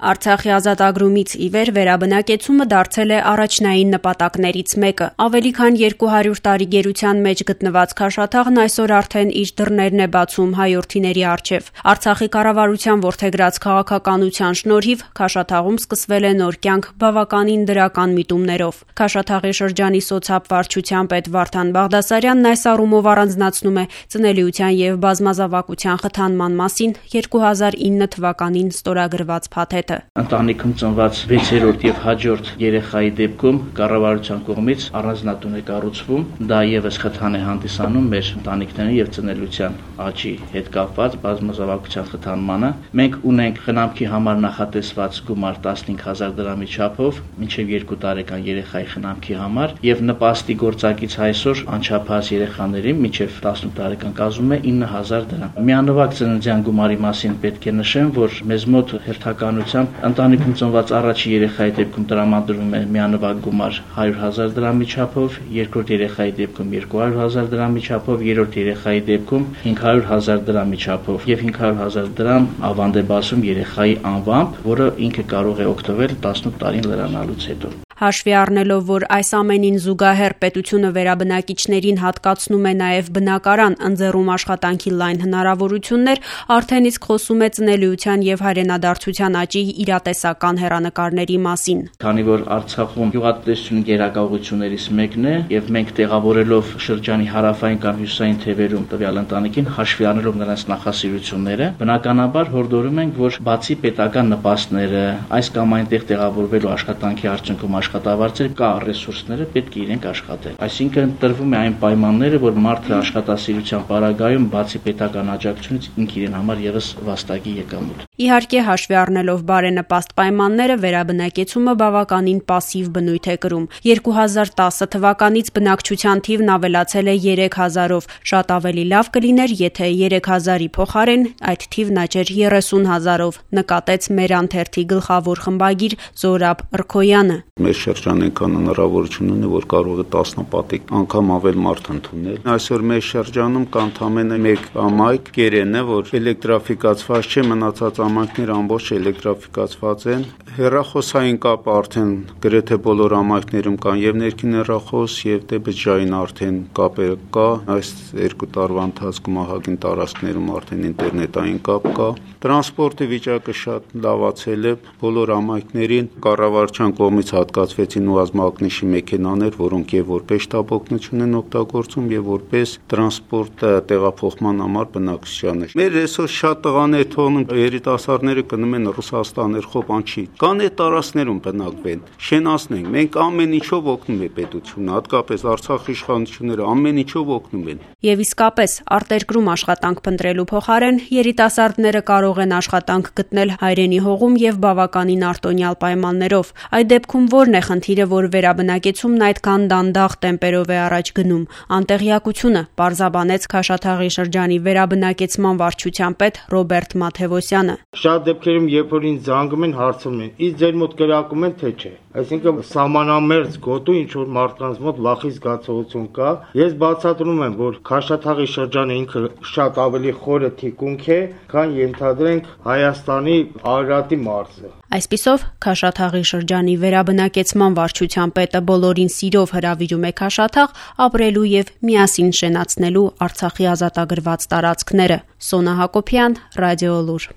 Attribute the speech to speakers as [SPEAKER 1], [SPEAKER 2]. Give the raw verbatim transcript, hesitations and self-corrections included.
[SPEAKER 1] Արցախի ազատագրումից ի վեր վերաբնակեցումը դարձել է առաջնային նպատակներից մեկը։ Ավելի քան երկու հարյուր տարի գերության մեջ գտնված Քաշաթաղն այսօր արդեն իր դռներն է բացում հայորդիների առջև։ Արցախի կառավարության որդեգրած քաղաքականության շնորհիվ Քաշաթաղում սկսվել է նոր կյանք բավականին դրական միտումներով։ Քաշաթաղի շրջանի սոցհապ-վարչության պետ Վարդան Բաղդասարյանն այս առումով առանձնացնում է ծնելիության եւ բազմազավակության խթանման մասին երկու հազար ինը թվականին ստորագրված փաթեթը։
[SPEAKER 2] Ընտանիքում ծնված վեցերորդ եւ հաջորդ երեխայի դեպքում կառավարության կողմից առանձնատուն է կառուցվում, դա եւս խթան է հանդիսանում մեր ընտանիքների եւ ծնելիության աճի հետ կապված բազմազավակության խթանմանը։ Մենք ունենք խնամքի համար նախատեսված գումար տասնհինգ հազար դրամի չափով մինչեւ երկու տարեկան երեխայի խնամքի համար եւ նպաստի գործակից այսօր անչափահաս երեխաների մինչեւ տասնութ տարեկան կազմում է ինը հազար դրամ։ Միանվագ ծննդյան գումարի մասին պետք է նշեմ, որ մեզ մոտ հերթականությամբ ընտանիքում ծնված առաջի երեխայի դեպքում տրամադրվում է միանվագ գումար հարյուր հազար դրամի չափով, երկրորդ երեխայի դեպքում երկու հարյուր հազար դրամի չափով, երրորդ երեխայի դեպքում հինգ հարյուր հազար դրամի չափով եւ հինգ հարյուր հազար դրամ ավանդ է բացում երեխայի անվամբ, որը ինքը կարող է օգտվել տասնութ տարին լրանալուց հետո։
[SPEAKER 1] Հաշվի առնելով, որ այս ամենին զուգահեռ պետությունը վերաբնակիչներին հատկացնում է նաև բնակարան, ընձեռում աշխատանքի լայն հնարավորություններ, արդեն իսկ խոսում է ծնելիության եւ հայրենադարձության աճի իրատեսական հեռանկարների մասին։
[SPEAKER 2] Քանի որ Արցախում գյուղատնտեսությունը գերակայություններից մեկն է եւ մենք տեղավորելով շրջանի հարավային կամ հյուսիսային թևերում տվյալ ընտանիքին հաշվի առնելով նրանց նախասիրությունները, բնականաբար հորդորում ենք, որ բացի պետական նպաստները, այս կամ այնտեղ տեղավորվելու աշխատանքի արդյունքում աշխատավարձեր կա ռեսուրսները պետք է իրենք աշխատել։ Այսինքն տրվում է այն պայմանները, որ մարդը աշխատասիրության պարագայում բացի պետական աջակցությունից ինքը իրեն համար եւս վաստակի եկամուտ։
[SPEAKER 1] Իհարկե, հաշվի առնելով բարենպաստ պայմանները, վերաբնակեցումը բավականին պասիվ բնույթ է կրում։ երկու հազար տասը թվականից բնակչության թիվն ավելացել է երեք հազարով։ Շատ ավելի լավ կլիներ, եթե երեք հազարի փոխարեն այդ թիվն աճեր երեսուն հազարով, նկատեց մեր անթերթի գլխավոր խմբագիր Զորաբ Ըրքոյանը։
[SPEAKER 3] Մեր շրջանը այնքան հնարավորություն ունի, որ կարող է տասնապատիկ անգամ ավել մարդ ընդունել։ Այսօր մեր շրջանում կա ընդամենը մեկ ամայք Կերենը, որ էլեկտրաֆիկացված չէ, մնացած ամայքները ամբողջ էլեկտրաֆիկացված են։ Հեռախոսային կապը արդեն գրեթե բոլոր ամայքներում կան եւ ներքին հեռախոս եւ դեպջային արդեն կապերը կա։ Այս երկու տարվա ընթացքում ահագին տարածքներում արդեն ինտերնետային կապ կա։ Տրանսպորտի վիճակը շատ լավացել է։ Բոլոր ամայքներին կառավարության կողմից հատկացվեցին ուազմակնիշի մեքենաներ, որոնք եւ որպես շտապ օգնություն են օգտագործում եւ որպես տրանսպորտ տեղափոխման համար բնակչությանը։ Մեր այսօր շատ տղաներ թողնում երիտասարդները գնում են Ռուսաստան, Երխոպանչի, կան այդ տարածքներում բնակվեն, շենացնենք։ Մենք ամեն ինչով օգնում է պետությունը, հատկապես Արցախի իշխանությունները ամեն ինչով օգնում են։
[SPEAKER 1] Եվ իսկապես, արտերկրում աշխատանք փնտրելու փոխարեն երիտասարդները կարող են աշխատանք գտնել հայրենի հողում եւ բավականին արտոնյալ պայմաններով։ Այդ դեպքում ո՞րն է խնդիրը, որ վերաբնակեցումն այդքան դանդաղ տեմպերով է առաջ գնում։ Անտեղյակությունը, պարզաբանեց Քաշաթաղի շրջանի վերաբնակեցման վարչության պետ Ռոբերտ Մաթևոսյանը։
[SPEAKER 4] Շատ դեպքերում, երբ որ ինձ զանգում են, հարցում են, իսկ ձեր մոտ կրակում են թե չէ։ Այսինքն սահմանամերձ գոտու ինչ որ մարդկանց մոտ վախի զգացողություն կա։ Ես բացատրում եմ, որ Քաշաթաղի շրջանը ինքը շատ ավելի խորը թիկունք է, քան ենթադրենք Հայաստանի Արարատի մարզը։
[SPEAKER 1] Այսպիսով, Քաշաթաղի շրջանի վերաբնակեցման վարչության պետը բոլորին սիրով հրավիրում է Քաշաթաղ ապրելու եւ միասին շենացնելու Արցախի ազատագրված տարածքները։ Սոնա Հակոբյան, Ռադիոլուր։